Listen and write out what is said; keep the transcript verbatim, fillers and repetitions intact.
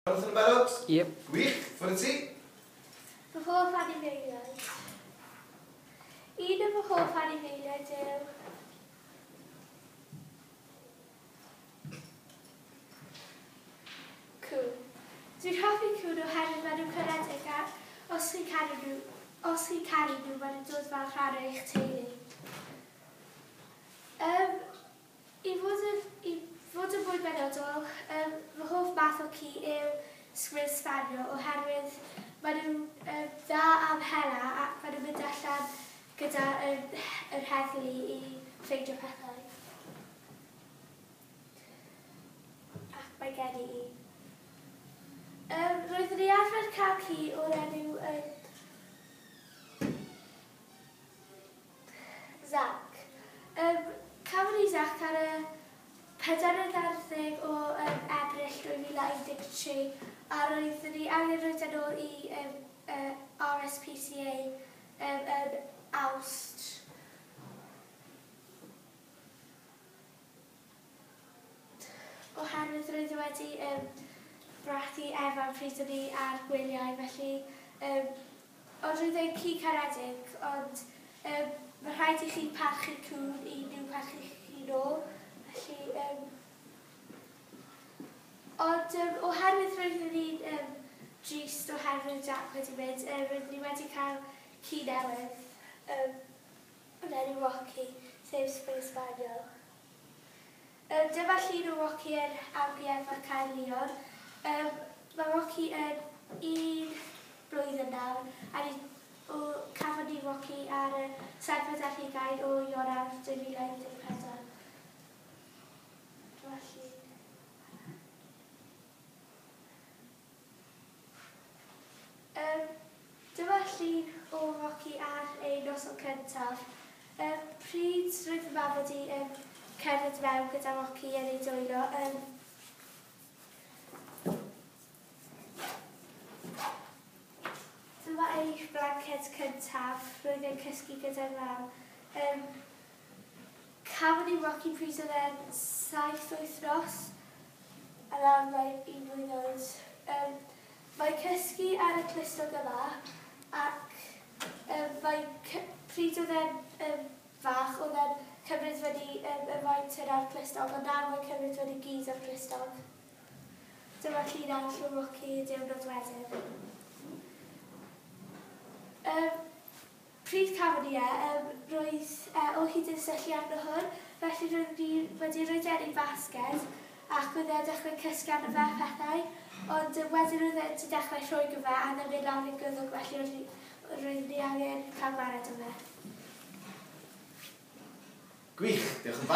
Jonathan yn barod? Yep. Gwych, ffwrdd ti? Fy hoff anifeiliaid. Un o fy hoff anifeiliaid yw cŵn. Dwi'n hoffi cŵn oherwydd maen nhw'n caredig a os chi'n caru nhw, os chi'n caru nhw, maen nhw'n dod fel rhan o eich teulu. Um, i fod yn, i fod yn fwy benodol, um, fy hoff math o ci yw Springer Spaniel oherwydd maen nhw'n um, dda am hela ac maen nhw'n mynd allan gyda um, yr heddlu i ffeindio pethau. Ac mae gen i un. Um, roeddwn i arfer cael ci o'r enw um, Zac. Um, Cafon ni Zac ar y pedwerydd ar ddeg o um, Ebrill dwy fil a un deg tri a roeddwn ni angen rhoi yn ôl i um, uh, R S P C A um, yn Awst. Oherwydd roedd wedi um, brathu Evan pryd o'n i ar gwyliau, felly um, ond roedd e'n ci caredig, ond um, mae rhaid i chi parchu cŵn i nhw parchu chi nôl, felly um, ond um, oherwydd roeddwn ni'n um, drist oherwydd Jack wedi mynd, um, roeddwn ni wedi cael ci newydd, um, yn enw Rocky, sef Springer Spaniel. Um, dyma llun o Rocky yn Amgueddfa Caerllion. Um, mae Rocky yn un blwyddyn nawr, a ni, o, cafon ni Rocky ar y seithfed ar hugain o Ionawr dwy fil a un deg pedwar. Dyma llun. Um, dyma llun o Rocky ar ei noson cyntaf. Um, pryd roedd fy mam wedi um, cerdded mewn gyda Rocky yn ei dwylo. Um, dyma ei blanced cyntaf, roedd e'n cysgu gyda'r mam. Um, cafon ni Rocky pryd oedd e'n saith wythnos, a nawr mae'n un blwydd oed. Um, mae'n cysgu ar y clustog yma, ac um, mae pryd oedd e'n um, fach, oedd e'n cymryd fyny um, y faint yna'r clustog, ond nawr mae'n cymryd fyny gyd o'r clustog. Dyma llun arall o Rocky y diwrnod wedyn. Um, pryd cafon ni e, um, roedd uh, o hyd yn syllu arno hwn, felly roedd ni wedi rhoi e yn ei basged ac oedd e'n dechrau cysgu arno fe a pethau, ond um, wedyn roedd e wedi dechrau rhwygo fe a ddim mynd lawr i'r gwddwg, felly roedd ni angen cael gwared o fe. Gwych, diolch yn fawr.